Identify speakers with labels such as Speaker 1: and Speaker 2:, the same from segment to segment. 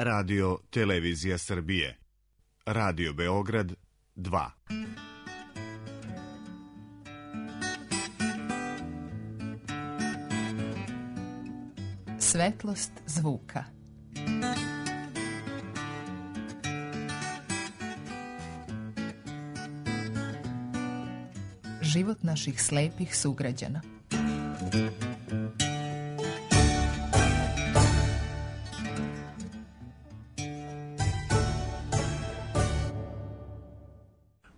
Speaker 1: Radio Televizija Srbije. Radio Beograd 2.
Speaker 2: Svetlost zvuka. Život naših slepih sugrađana.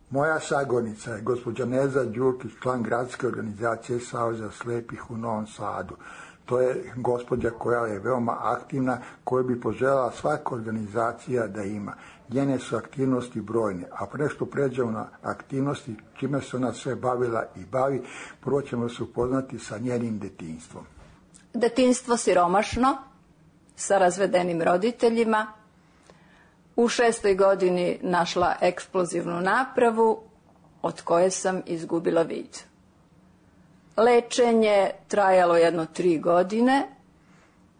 Speaker 3: Moja sagovornica je gospođa Neza Đurkić, član gradske organizacije Saveza slepih u Novom Sadu. To je gospođa koja je veoma aktivna, koju bi poželjela svaka organizacija da ima. Njene su aktivnosti brojne, a pre što pređemo na aktivnosti čime se ona sve bavila i bavi, prvo ćemo se upoznati sa njenim detinjstvom.
Speaker 4: Detinjstvo siromašno, sa razvedenim roditeljima. U 6. godini našla eksplozivnu napravu od koje sam izgubila vid. Lečenje trajalo jedno 3 godine,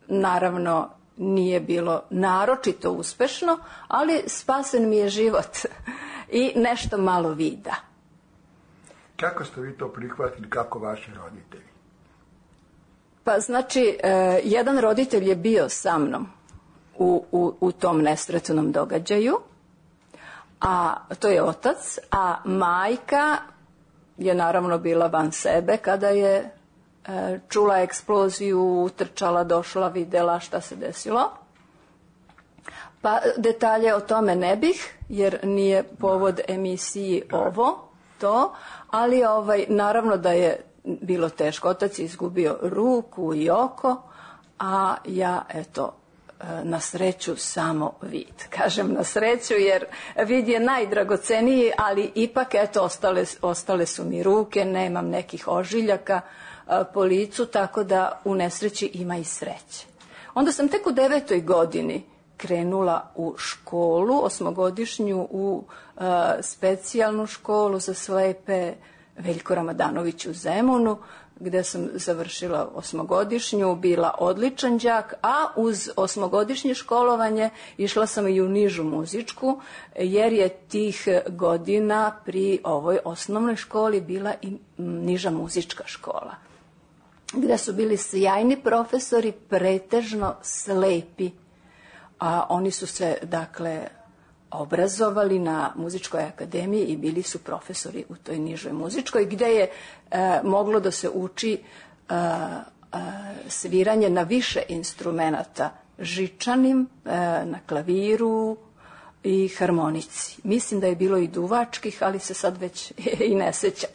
Speaker 4: naravno nije bilo naročito uspešno, ali spasen mi je život i nešto malo vida.
Speaker 3: Kako ste vi to prihvatili, kako vaši roditelji?
Speaker 4: Pa znači, jedan roditelj je bio sa mnom u tom nesretnom događaju, a to je otac, a majka je naravno bila van sebe kada je čula eksploziju, utrčala, došla, videla šta se desilo. Pa detalje o tome ne bih, jer nije povod emisiji to, ali naravno da je bilo teško. Otac je izgubio ruku i oko, a ja, na sreću samo vid. Kažem na sreću jer vid je najdragoceniji, ali ipak ostale su mi ruke, nemam nekih ožiljaka po licu, tako da u nesreći ima i sreće. Onda sam tek u 9. godini krenula u školu, 8-godišnju, u specijalnu školu za slepe Veljko Ramadanović u Zemunu, gde sam završila 8-godišnju, bila odličan đak, a uz 8-godišnje školovanje išla sam i u nižu muzičku, jer je tih godina pri ovoj osnovnoj školi bila i niža muzička škola, gde su bili sjajni profesori, pretežno slepi, a oni su se, obrazovali na muzičkoj akademiji i bili su profesori u toj nižoj muzičkoj, gde je moglo da se uči sviranje na više instrumenata, žičanim, na klaviru i harmonici. Mislim da je bilo i duvačkih, ali se sad već i ne sećam.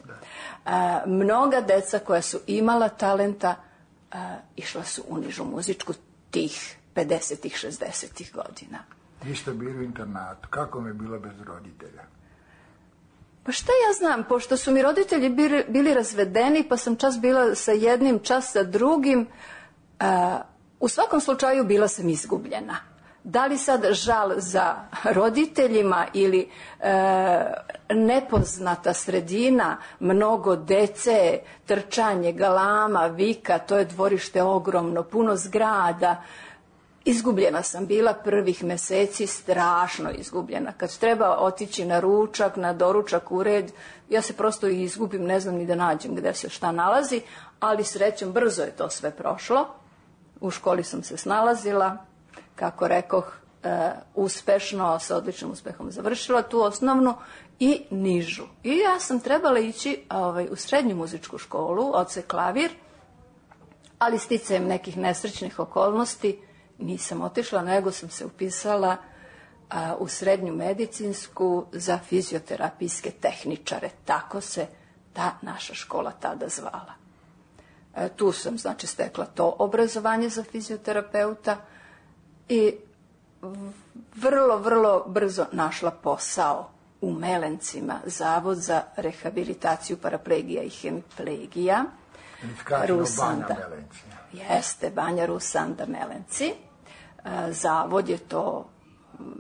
Speaker 4: Mnoga deca koja su imala talenta išla su u nižu muzičku tih 50-ih, 60-ih godina.
Speaker 3: Vi ste bili u internatu. Kako mi je bilo bez roditelja?
Speaker 4: Pa šta ja znam, pošto su mi roditelji bili razvedeni, pa sam čas bila sa jednim, čas sa drugim, u svakom slučaju bila sam izgubljena. Da li sad žal za roditeljima ili nepoznata sredina, mnogo dece, trčanje, galama, vika, to je dvorište ogromno, puno zgrada. Izgubljena sam bila prvih meseci, strašno izgubljena. Kad treba otići na ručak, na doručak, u red, ja se prosto izgubim, ne znam ni da nađem gde se šta nalazi, ali srećom brzo je to sve prošlo. U školi sam se snalazila, kako rekoh, uspešno, sa odličnim uspehom završila tu osnovnu i nižu. I ja sam trebala ići u srednju muzičku školu, odsek klavir, ali sticajem nekih nesrećnih okolnosti nisam otišla, nego sam se upisala u srednju medicinsku za fizioterapijske tehničare. Tako se ta naša škola tada zvala. Tu sam, stekla to obrazovanje za fizioterapeuta i vrlo, vrlo brzo našla posao u Melencima, Zavod za rehabilitaciju paraplegija i hemiplegija.
Speaker 3: Rusanda.
Speaker 4: Jeste, Banja Rusanda Melenci. Zavod je to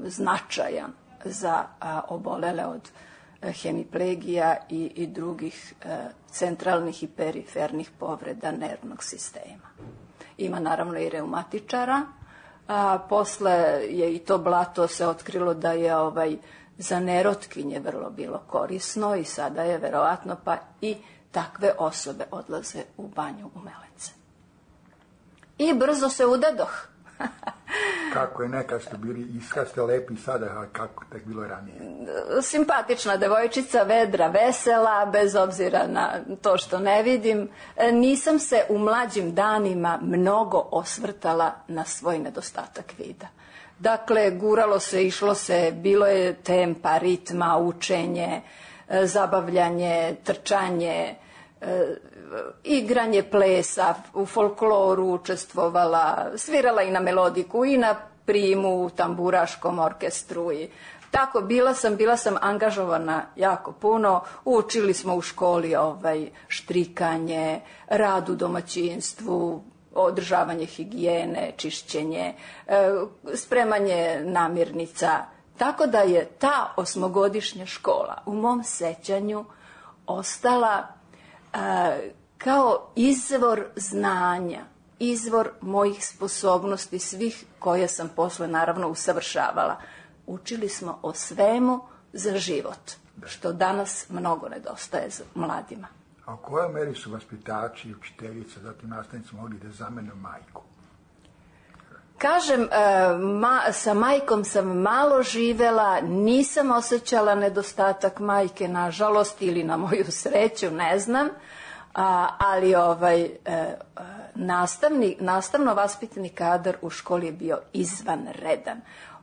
Speaker 4: značajan za obolele od hemiplegija i drugih centralnih i perifernih povreda nervnog sistema. Ima naravno i reumatičara a posle je i to blato se otkrilo da je za nerotkinje vrlo bilo korisno i sada je verovatno pa i takve osobe odlaze u banju u Melence. I brzo se udadoh.
Speaker 3: Kako je nekad ste bili, iskad ste lepi sada, a kako tek bilo ranije?
Speaker 4: Simpatična devojčica, vedra, vesela, bez obzira na to što ne vidim. Nisam se u mlađim danima mnogo osvrtala na svoj nedostatak vida. Dakle, guralo se, išlo se, bilo je tempa, ritma, učenje, zabavljanje, trčanje, igranje plesa, u folkloru učestvovala, svirala i na melodiku i na primu u tamburaškom orkestru i tako bila sam angažovana jako puno. Učili smo u školi štrikanje, rad u domaćinstvu, održavanje higijene, čišćenje, spremanje namirnica. Tako da je ta 8-godišnja škola u mom sećanju ostala kao izvor znanja, izvor mojih sposobnosti, svih koje sam posle naravno usavršavala. Učili smo o svemu za život, što danas mnogo nedostaje mladima.
Speaker 3: A u kojoj meri su vaspitači, učiteljice, zatim nastavnici mogli da zamene majku?
Speaker 4: Kažem, sa majkom sam malo živela, nisam osjećala nedostatak majke, nažalost, ili na moju sreću, ne znam, ali nastavno-vaspitni kadar u školi je bio izvanredan.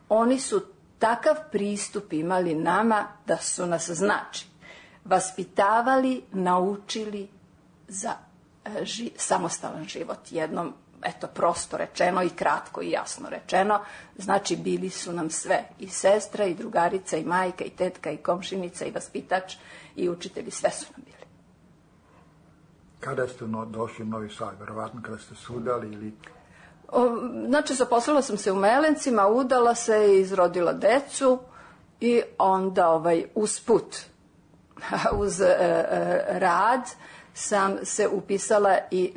Speaker 4: Oni su takav pristup imali nama da su nas, znači, vaspitavali, naučili za samostalan život, jednom, eto, prosto rečeno i kratko i jasno rečeno. Znači, bili su nam sve, i sestra, i drugarica, i majka, i tetka, i komšinica, i vaspitač, i učitelji, sve su nam bili.
Speaker 3: Kada ste došli u Novi Sad? Verovatno kada ste se udali ili...
Speaker 4: Znači, zaposlila sam se u Melencima, udala se i izrodila decu i onda usput, uz rad, sam se upisala i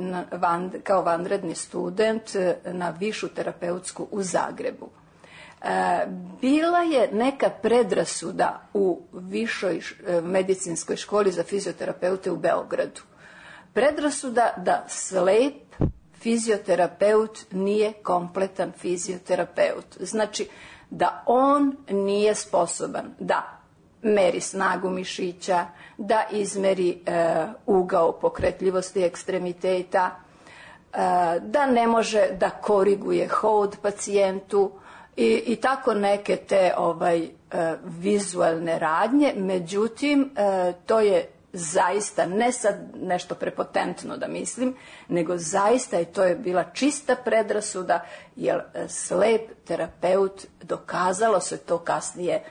Speaker 4: kao vanredni student na višu terapeutsku u Zagrebu. Bila je neka predrasuda u višoj medicinskoj školi za fizioterapeute u Beogradu. Predrasuda da slep fizioterapeut nije kompletan fizioterapeut. Znači da on nije sposoban da meri snagu mišića, da izmeri ugao pokretljivosti ekstremiteta, da ne može da koriguje hod pacijentu i tako neke te vizualne radnje. Međutim, to je zaista, ne sad nešto prepotentno da mislim, nego zaista to je bila čista predrasuda, jer slep terapeut, dokazalo se to kasnije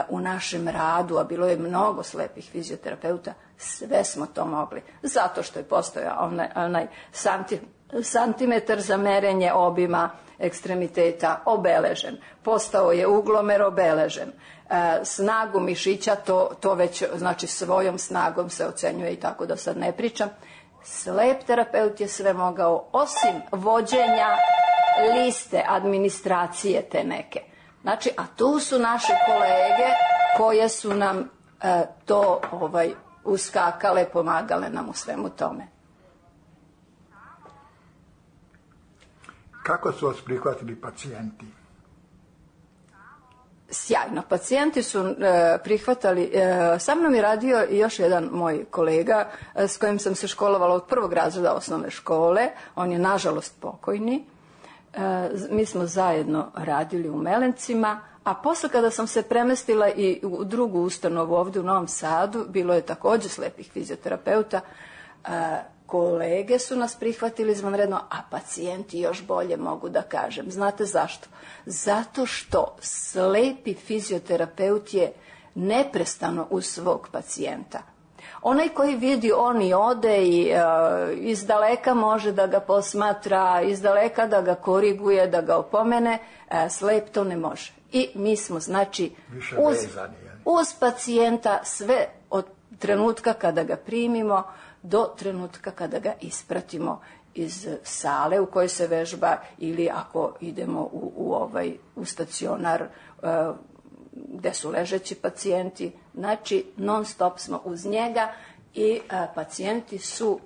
Speaker 4: u našem radu, a bilo je mnogo slepih fizioterapeuta, sve smo to mogli, zato što je postojao onaj santimetar za merenje obima ekstremiteta obeležen, postao je uglomer obeležen, snagu mišića, to već, znači, svojom snagom se ocenjuje i tako da sad ne pričam. Slep terapeut je sve mogao, osim vođenja liste administracije te neke. Znači, a tu su naše kolege koje su nam to uskakale, pomagale nam u svemu tome.
Speaker 3: Kako su vas prihvatili pacijenti?
Speaker 4: Sjajno. Pacijenti su prihvatali, sa mnom je radio i još jedan moj kolega s kojim sam se školovala od 1. razreda osnovne škole. On je nažalost pokojni. Mi smo zajedno radili u Melencima, a posle kada sam se premestila i u drugu ustanovu ovdje u Novom Sadu, bilo je također slepih fizioterapeuta. Kolege su nas prihvatili izvanredno, a pacijenti još bolje, mogu da kažem. Znate zašto? Zato što slepi fizioterapeut je neprestano uz svog pacijenta. Onaj koji vidi, on i ode i izdaleka može da ga posmatra, izdaleka da ga koriguje, da ga opomene, slep to ne može. I mi smo, znači, uz pacijenta sve od trenutka kada ga primimo do trenutka kada ga ispratimo iz sale u kojoj se vežba, ili ako idemo u u stacionar gde su ležeći pacijenti. Znači, non stop smo uz njega i pacijenti su,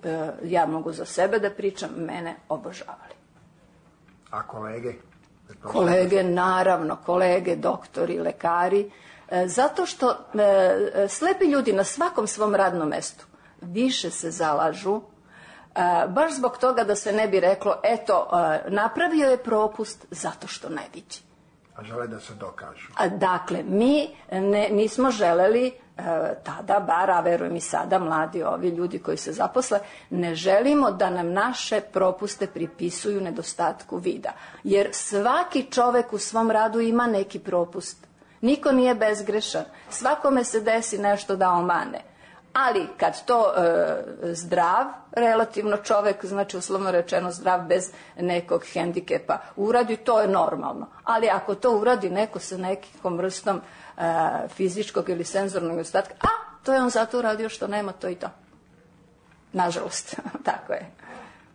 Speaker 4: ja mogu za sebe da pričam, mene obožavali.
Speaker 3: A kolege?
Speaker 4: Kolege, naravno, kolege, doktori, lekari, zato što slepi ljudi na svakom svom radnom mestu više se zalažu, baš zbog toga da se ne bi reklo, eto, napravio je propust zato što ne vidi.
Speaker 3: A žele da se dokažu.
Speaker 4: Dakle, mi nismo želeli tada, bar, a verujem i sada, mladi ovi ljudi koji se zaposle, ne želimo da nam naše propuste pripisuju nedostatku vida. Jer svaki čovek u svom radu ima neki propust. Niko nije bezgrešan. Svakome se desi nešto da omane. Ali kad to zdrav, relativno čovek, znači uslovno rečeno zdrav bez nekog hendikepa uradi, to je normalno. Ali ako to uradi neko sa nekom vrstom fizičkog ili senzornog nedostatka, to je on zato uradio što nema to i to. Nažalost, tako je.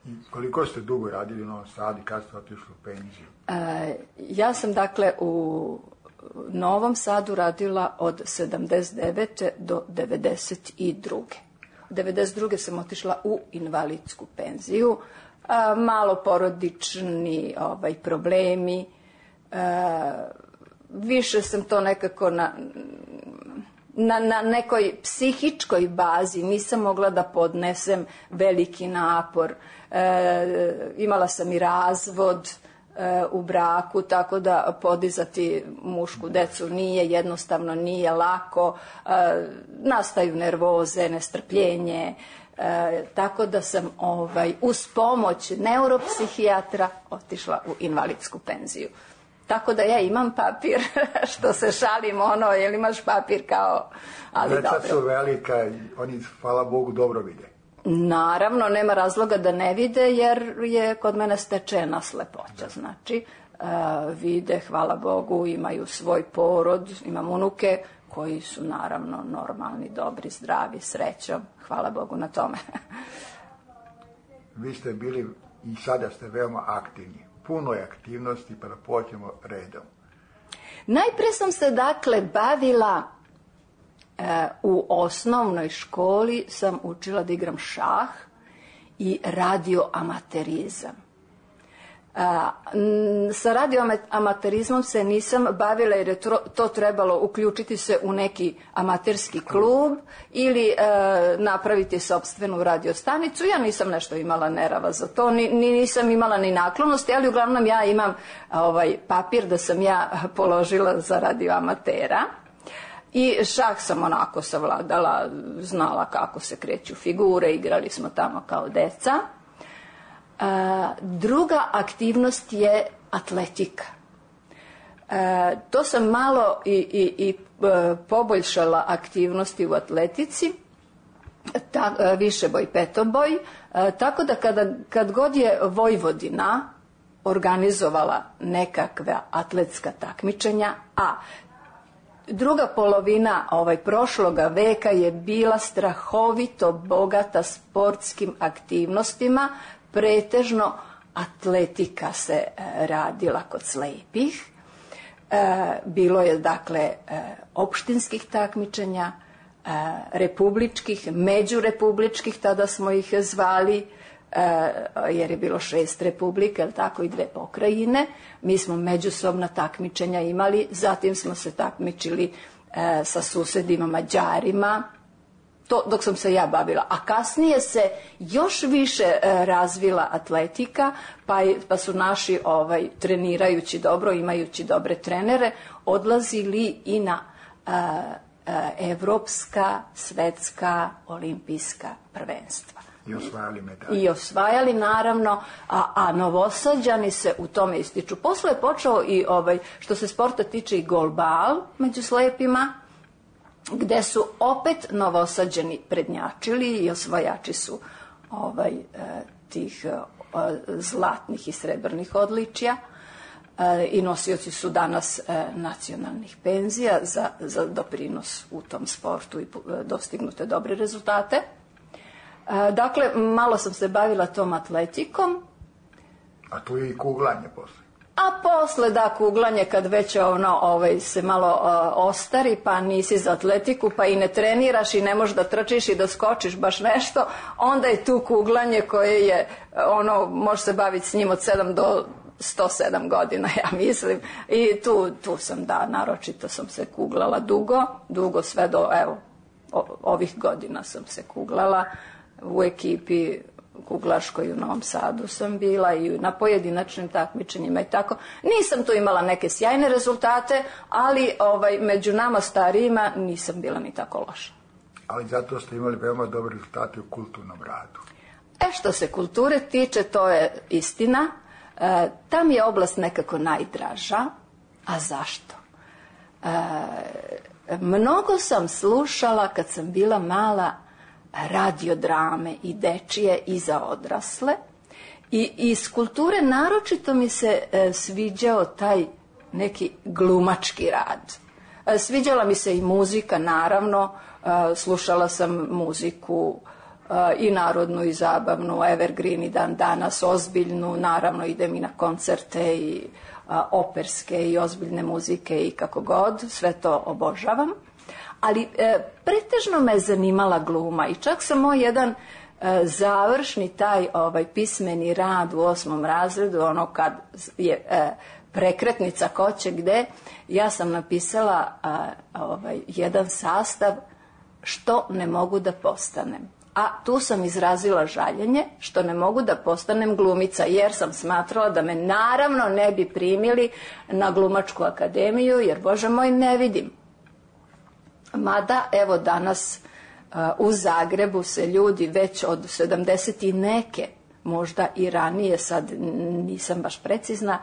Speaker 3: I koliko ste dugo radili u Novom Sadu i kad ste otišli u penziju?
Speaker 4: Ja sam dakle u Novom Sadu radila od 79. do 92. U 92. sam otišla u invalidsku penziju. Malo porodični problemi. Više sam to nekako na nekoj psihičkoj bazi. Nisam mogla da podnesem veliki napor. Imala sam i razvod u braku, tako da podizati mušku decu jednostavno nije lako, nastaju nervoze, nestrpljenje, tako da sam uz pomoć neuropsihijatra otišla u invalidsku penziju. Tako da ja imam papir, što se šalim jel imaš papir kao, ali
Speaker 3: deca
Speaker 4: dobro.
Speaker 3: Su velika, oni, hvala Bogu, dobro vide.
Speaker 4: Naravno, nema razloga da ne vide, jer je kod mene stečena slepoća. Znači, vide, hvala Bogu, imaju svoj porod, imam unuke koji su naravno normalni, dobri, zdravi, srećom. Hvala Bogu na tome.
Speaker 3: Vi ste bili i sada ste veoma aktivni. Puno je aktivnosti, pa da počnemo redom.
Speaker 4: Najpre sam se dakle bavila u osnovnoj školi, sam učila da igram šah i radioamaterizam. Sa radioamaterizmom se nisam bavila jer je to trebalo uključiti se u neki amaterski klub ili napraviti sopstvenu radiostanicu. Ja nisam nešto imala nerava za to, nisam imala ni naklonosti, ali uglavnom ja imam papir da sam ja položila za radioamatera. I šah sam onako savladala, znala kako se kreću figure, igrali smo tamo kao deca. Druga aktivnost je atletika. To sam malo i poboljšala aktivnosti u atletici, višeboj, petoboj, tako da kad god je Vojvodina organizovala nekakva atletska takmičenja, a druga polovina prošloga veka je bila strahovito bogata sportskim aktivnostima, pretežno atletika se radila kod slepih. Bilo je dakle opštinskih takmičenja, republičkih, međurepubličkih, tada smo ih zvali, jer je bilo 6 republika, ali tako i 2 pokrajine. Mi smo međusobna takmičenja imali, zatim smo se takmičili sa susedima Mađarima, to dok sam se ja bavila. A kasnije se još više razvila atletika, pa su naši trenirajući dobro, imajući dobre trenere, odlazili i na evropska, svetska, olimpijska prvenstva.
Speaker 3: I osvajali medalje.
Speaker 4: I osvajali, naravno, a Novosađani se u tome ističu. Posle je počeo i, što se sporta tiče, i golbal među slepima, gde su opet Novosađani prednjačili i osvajači su tih zlatnih i srebrnih odličja i nosioci su danas nacionalnih penzija za doprinos u tom sportu i dostignute dobre rezultate. Dakle, malo sam se bavila tom atletikom.
Speaker 3: A tu je i kuglanje posle.
Speaker 4: A posle da kuglanje kad već se malo ostari, pa nisi za atletiku, pa i ne treniraš i ne možeš da trčiš i da skočiš baš nešto, onda je tu kuglanje koje je, može se baviti s njim od 7 do 107 godina, ja mislim. I tu sam, naročito sam se kuglala dugo, sve do, ovih godina sam se kuglala. U ekipi kuglaškoj u Novom Sadu sam bila i na pojedinačnim takmičenjima i tako. Nisam tu imala neke sjajne rezultate, ali među nama starijima nisam bila ni tako loša.
Speaker 3: Ali zato ste imali veoma dobre rezultate u kulturnom radu.
Speaker 4: Što se kulture tiče, to je istina. Tam je oblast nekako najdraža. A zašto? Mnogo sam slušala kad sam bila mala radiodrame i dečije i za odrasle. I iz kulture naročito mi se sviđao taj neki glumački rad. Sviđala mi se i muzika, naravno. Slušala sam muziku i narodnu i zabavnu, evergreen i dan danas, ozbiljnu, naravno idem i na koncerte i operske i ozbiljne muzike i kako god, sve to obožavam. Ali pretežno me je zanimala gluma i čak sam moj jedan završni taj pismeni rad u 8. razredu, kad je prekretnica ko će gde, ja sam napisala jedan sastav što ne mogu da postanem. A tu sam izrazila žaljenje što ne mogu da postanem glumica, jer sam smatrala da me naravno ne bi primili na glumačku akademiju, jer Bože moj ne vidim. Mada evo danas u Zagrebu se ljudi već od 70 i neke, možda i ranije, sad nisam baš precizna,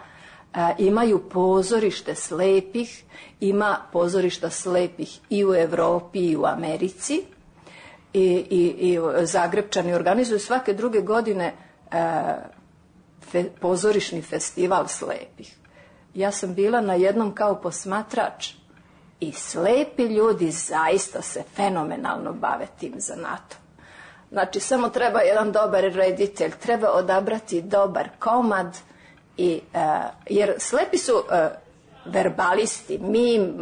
Speaker 4: imaju pozorište slepih, ima pozorišta slepih i u Evropi i u Americi. I Zagrebčani organizuju svake druge godine pozorišni festival slepih. Ja sam bila na jednom kao posmatrač i slepi ljudi zaista se fenomenalno bave tim zanatom. Znači, samo treba jedan dobar reditelj, treba odabrati dobar komad, jer slepi su verbalisti, mi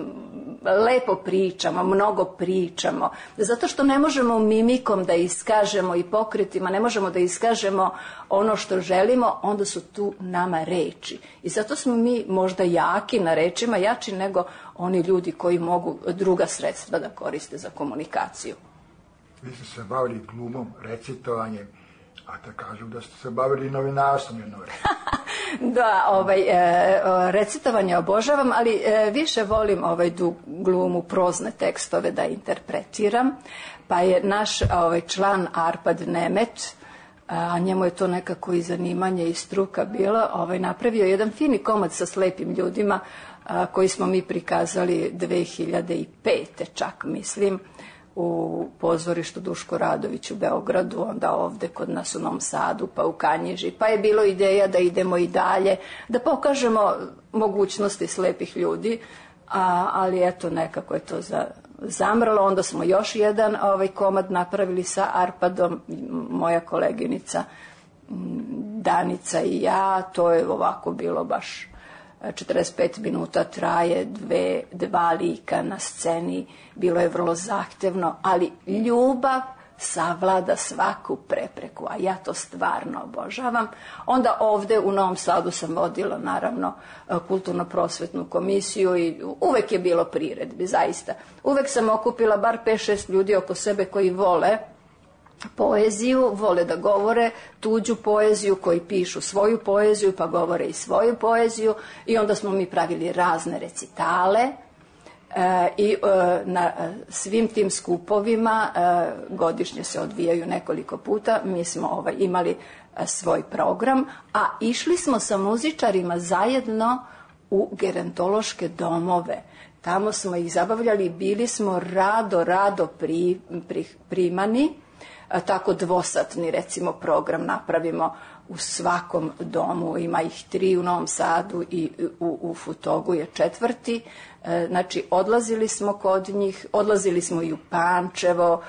Speaker 4: lepo pričamo, mnogo pričamo, zato što ne možemo mimikom da iskažemo i pokretima, ne možemo da iskažemo ono što želimo, onda su tu nama reči. I zato smo mi možda jaki na rečima, jači nego oni ljudi koji mogu druga sredstva da koriste za komunikaciju.
Speaker 3: Vi ste se bavili glumom, recitovanjem, a da kažu da ste se bavili novinarstvom jedno vreme.
Speaker 4: Da, recitovanje obožavam, ali više volim glumu, prozne tekstove da interpretiram. Pa je naš član Arpad Nemet, a njemu je to nekako i zanimanje i struka bilo, napravio jedan fini komad sa slepim ljudima koji smo mi prikazali 2005. čak mislim, u pozorištu Duško Radović u Beogradu, onda ovde kod nas u Novom Sadu, pa u Kanjiži. Pa je bilo ideja da idemo i dalje, da pokažemo mogućnosti slepih ljudi, ali eto nekako je to zamrlo. Onda smo još jedan komad napravili sa Arpadom, moja koleginica Danica i ja. To je ovako bilo baš 45 minuta traje, dva lika na sceni, bilo je vrlo zahtevno, ali ljubav savlada svaku prepreku, a ja to stvarno obožavam. Onda ovde u Novom Sadu sam vodila naravno kulturno-prosvetnu komisiju i uvek je bilo priredbi, zaista. Uvek sam okupila bar 5-6 ljudi oko sebe koji vole poeziju, vole da govore tuđu poeziju, koji pišu svoju poeziju pa govore i svoju poeziju, i onda smo mi pravili razne recitale i na svim tim skupovima godišnje se odvijaju nekoliko puta. Mi smo imali svoj program, a išli smo sa muzičarima zajedno u gerontološke domove. Tamo smo ih zabavljali, bili smo rado primani. tako dvosatni recimo program napravimo u svakom domu, ima ih 3 u Novom Sadu i u Futogu je 4. Znači, odlazili smo kod njih, odlazili smo i u Pančevo,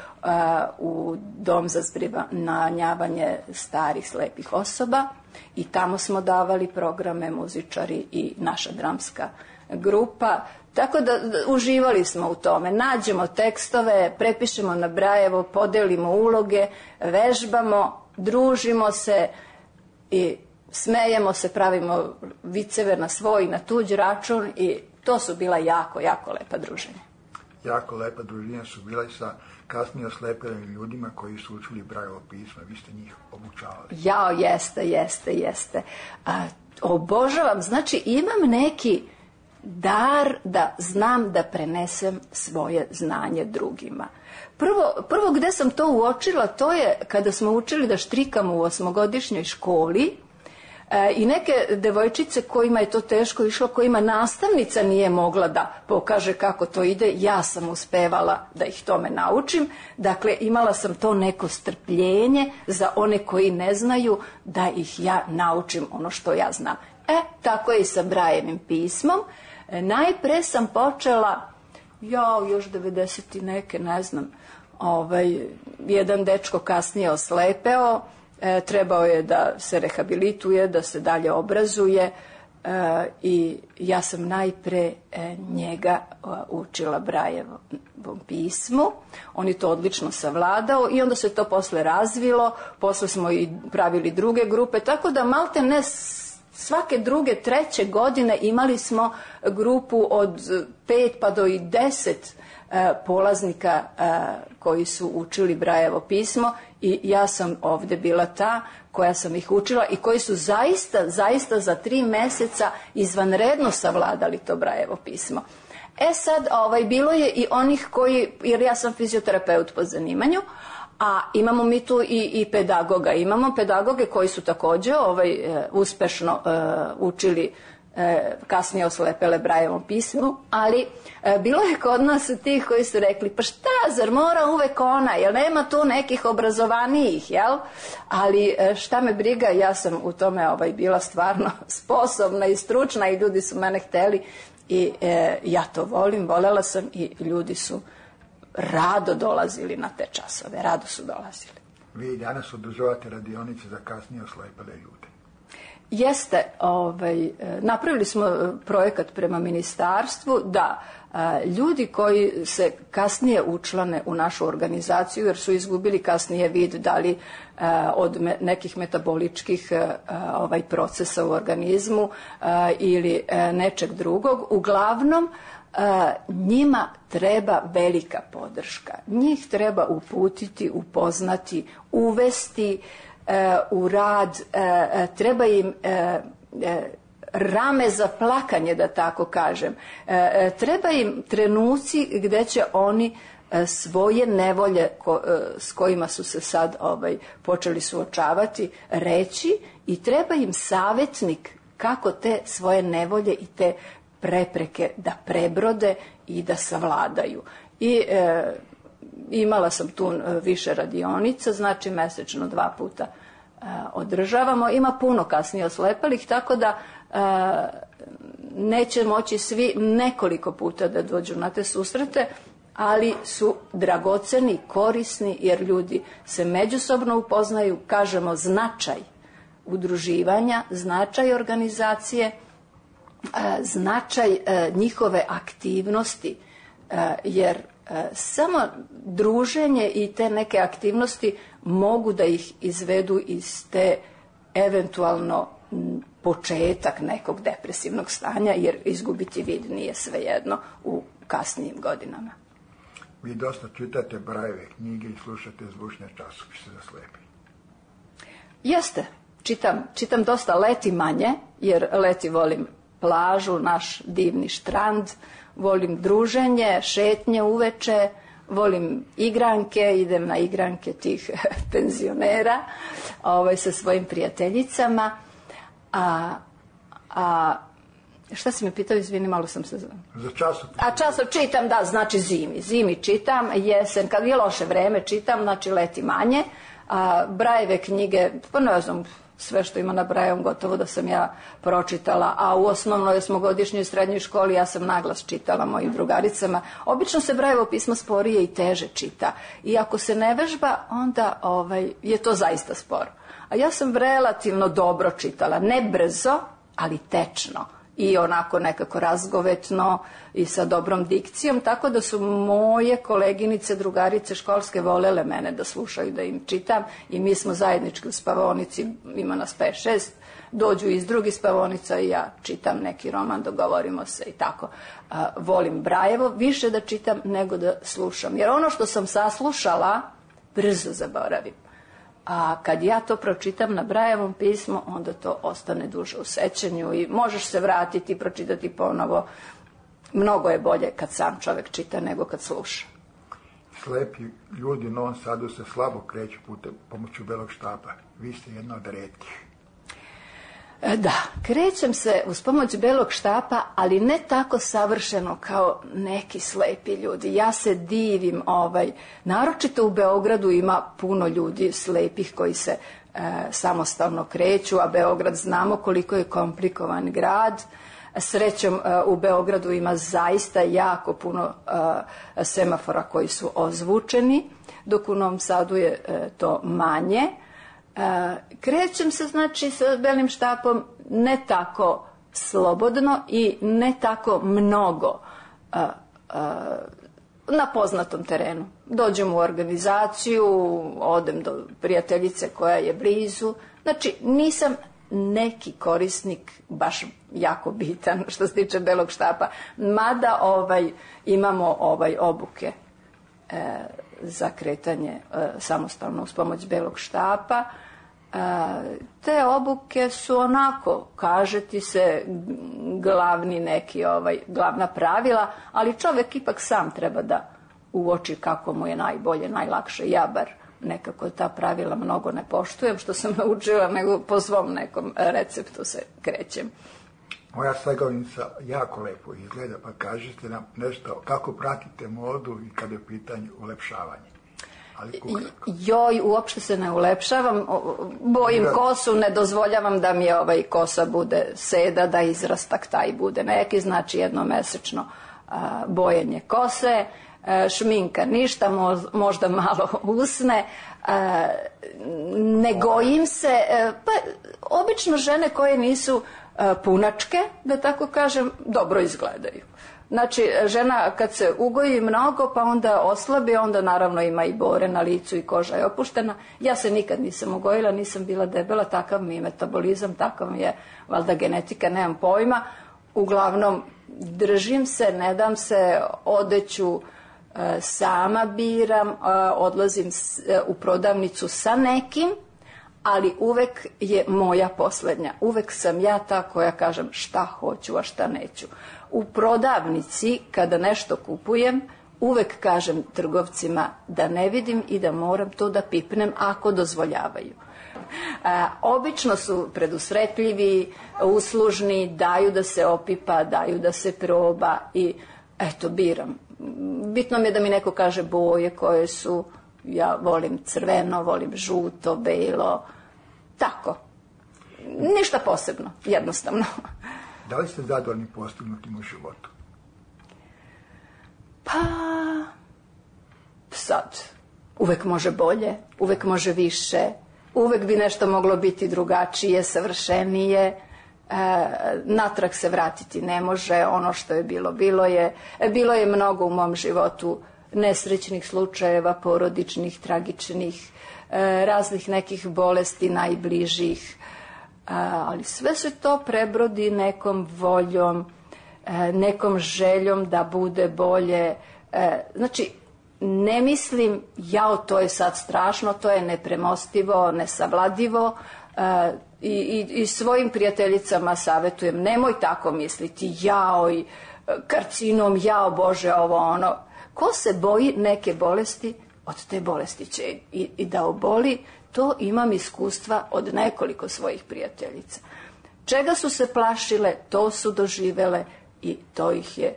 Speaker 4: u dom za zbrinjavanje starih slepih osoba i tamo smo davali programe, muzičari i naša dramska grupa. Tako da uživali smo u tome. Nađemo tekstove, prepišemo na Brajevo, podelimo uloge, vežbamo, družimo se i smejemo se, pravimo viceve na svoj, na tuđ račun i to su bila jako, jako lepa druženja.
Speaker 3: Jako lepa druženja su bila i sa kasnije oslepelim ljudima koji su učili Brajevo pismo. Vi ste njih obučavali.
Speaker 4: Jao, jeste. Obožavam, znači imam neki dar da znam da prenesem svoje znanje drugima. Prvo gde sam to uočila, to je kada smo učili da štrikamo u 8-godišnjoj školi i neke devojčice kojima je to teško išlo, kojima nastavnica nije mogla da pokaže kako to ide, ja sam uspevala da ih tome naučim. Dakle, imala sam to neko strpljenje za one koji ne znaju da ih ja naučim ono što ja znam. Tako je i sa Brajevim pismom. Najpre sam počela, još 90 i neke, ne znam, jedan dečko kasnije oslepeo, trebao je da se rehabilituje, da se dalje obrazuje i ja sam najpre njega učila Brajevom pismu. On je to odlično savladao i onda se to posle razvilo, posle smo i pravili druge grupe, tako da malte ne svake 2., 3. godine imali smo grupu od 5 pa do i 10 polaznika koji su učili Brajevo pismo i ja sam ovde bila ta koja sam ih učila i koji su zaista za 3 meseca izvanredno savladali to Brajevo pismo. Sad, bilo je i onih koji, jer ja sam fizioterapeut po zanimanju, a imamo mi tu i pedagoga. Imamo pedagoge koji su takođe uspešno učili kasnije oslepele Brajevom pismu, ali bilo je kod nas tih koji su rekli, pa šta, zar mora uvek ona, jel nema tu nekih obrazovanijih, jel? Ali šta me briga, ja sam u tome bila stvarno sposobna i stručna i ljudi su mene hteli i ja to volela sam i ljudi su rado dolazili na te časove, rado su dolazili.
Speaker 3: Vi i danas održavate radionice za kasnije oslepele ljude.
Speaker 4: Jeste, napravili smo projekat prema ministarstvu da ljudi koji se kasnije učlane u našu organizaciju, jer su izgubili kasnije vid, da li od nekih metaboličkih procesa u organizmu ili nečeg drugog, uglavnom njima treba velika podrška. Njih treba uputiti, upoznati, uvesti u rad, treba im rame za plakanje, da tako kažem. Treba im trenuci gde će oni svoje nevolje s kojima su se sad počeli suočavati reći i treba im savetnik kako te svoje nevolje i te prepreke da prebrode i da savladaju. I imala sam tu više radionica, znači mesečno 2 puta održavamo. Ima puno kasnije oslepelih, tako da neće moći svi nekoliko puta da dođu na te susrete, ali su dragoceni, korisni, jer ljudi se međusobno upoznaju, kažemo značaj udruživanja, značaj organizacije, značaj njihove aktivnosti, jer samo druženje i te neke aktivnosti mogu da ih izvedu iz te eventualno početak nekog depresivnog stanja, jer izgubiti vid nije svejedno u kasnijim godinama.
Speaker 3: Vi dosta čitate Brajeve knjige i slušate zvučne časopise za slepe.
Speaker 4: Jeste, čitam dosta leti manje, jer leti volim plažu, naš divni štrand, volim druženje, šetnje uveče, volim igranke, idem na igranke tih penzionera sa svojim prijateljicama. Šta si me pitao, izvini, malo sam se...
Speaker 3: Za časopis.
Speaker 4: A časopis čitam, da, znači zimi čitam, jesen, kad je loše vreme čitam, znači leti manje. Brajeve knjige, pa ne znam, sve što ima na Brajevom gotovo da sam ja pročitala, a u osnovnoj, osmogodišnjoj i srednjoj školi ja sam naglas čitala mojim drugaricama. Obično se Brajevo pismo sporije i teže čita i ako se ne vežba, onda je to zaista sporo. A ja sam relativno dobro čitala, ne brzo, ali tečno i onako nekako razgovetno i sa dobrom dikcijom, tako da su moje koleginice, drugarice školske volele mene da slušaju, da im čitam i mi smo zajednički u spavaonici, ima nas 5-6, dođu iz drugih spavaonica i ja čitam neki roman, dogovorimo se i tako. Volim Brajevo više da čitam nego da slušam, jer ono što sam saslušala brzo zaboravim. A kad ja to pročitam na Brajevom pismu, onda to ostane duže u sećanju i možeš se vratiti i pročitati ponovo. Mnogo je bolje kad sam čovjek čita nego kad sluša.
Speaker 3: Slepi ljudi u Novom Sadu se slabo kreću pomoću belog štapa. Vi ste jedna od retkih.
Speaker 4: Da, krećem se uz pomoć belog štapa, ali ne tako savršeno kao neki slepi ljudi. Ja se divim, naročito u Beogradu ima puno ljudi slepih koji se samostalno kreću, a Beograd znamo koliko je komplikovan grad. Srećom u Beogradu ima zaista jako puno semafora koji su ozvučeni, dok u Novom Sadu je to manje. Krećem se znači sa belim štapom ne tako slobodno i ne tako mnogo na poznatom terenu. Dođem u organizaciju, odem do prijateljice koja je blizu, znači nisam neki korisnik baš jako bitan što se tiče belog štapa, mada imamo obuke za kretanje samostalno uz pomoć belog štapa. Te obuke su onako, kaže ti se, glavni neki, glavna pravila, ali čovjek ipak sam treba da uoči kako mu je najbolje, najlakše. Ja bar nekako ta pravila mnogo ne poštujem, što sam naučila, nego po svom nekom receptu se krećem.
Speaker 3: Moja slagalinica jako lepo izgleda, pa kažete nam nešto kako pratite modu i kada je u pitanju ulepšavanje.
Speaker 4: Joj, uopšte se ne ulepšavam, bojim kosu, ne dozvoljavam da mi kosa bude seda, da izrastak taj bude neki, znači jednomesečno bojenje kose, šminka ništa, možda malo usne, ne gojim se, pa obično žene koje nisu punačke, da tako kažem, dobro izgledaju. Znači, žena kad se ugoji mnogo, pa onda oslabi, onda naravno ima i bore na licu i koža je opuštena. Ja se nikad nisam ugojila, nisam bila debela, takav mi je metabolizam, takav mi je valjda genetika, nemam pojma. Uglavnom, držim se, ne dam se, odeću sama biram, odlazim u prodavnicu sa nekim, ali uvek je moja posljednja. Uvek sam ja ta koja kažem šta hoću, a šta neću. U prodavnici, kada nešto kupujem, uvek kažem trgovcima da ne vidim i da moram to da pipnem ako dozvoljavaju. Obično su predusretljivi, uslužni, daju da se opipa, daju da se proba i eto, biram. Bitno mi je da mi neko kaže boje koje su, ja volim crveno, volim žuto, belo, tako. Ništa posebno, jednostavno.
Speaker 3: Da li ste zadovoljni postignutim u životu?
Speaker 4: Pa, sad, uvek može bolje, uvek može više, uvek bi nešto moglo biti drugačije, savršenije, natrag se vratiti ne može, ono što je bilo, bilo je. Bilo je mnogo u mom životu nesrećnih slučajeva, porodičnih, tragičnih, raznih nekih bolesti najbližih, ali sve se to prebrodi nekom voljom, nekom željom da bude bolje. Znači, ne mislim, jao, to je sad strašno, to je nepremostivo, nesavladivo, i svojim prijateljicama savjetujem, nemoj tako misliti, jao, i karcinom, jao Bože, ovo ono. Ko se boji neke bolesti, od te bolesti će i da oboli. To imam iskustva od nekoliko svojih prijateljica. Čega su se plašile, to su doživele i to ih je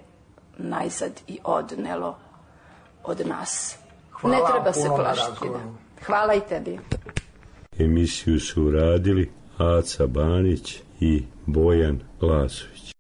Speaker 4: najzad i odnelo od nas.
Speaker 3: Hvala,
Speaker 4: ne treba se
Speaker 3: puno na
Speaker 4: plašiti.
Speaker 3: razgovoru.
Speaker 4: Hvala i tebi.
Speaker 5: Emisiju su uradili Aca Banić i Bojan Lasović.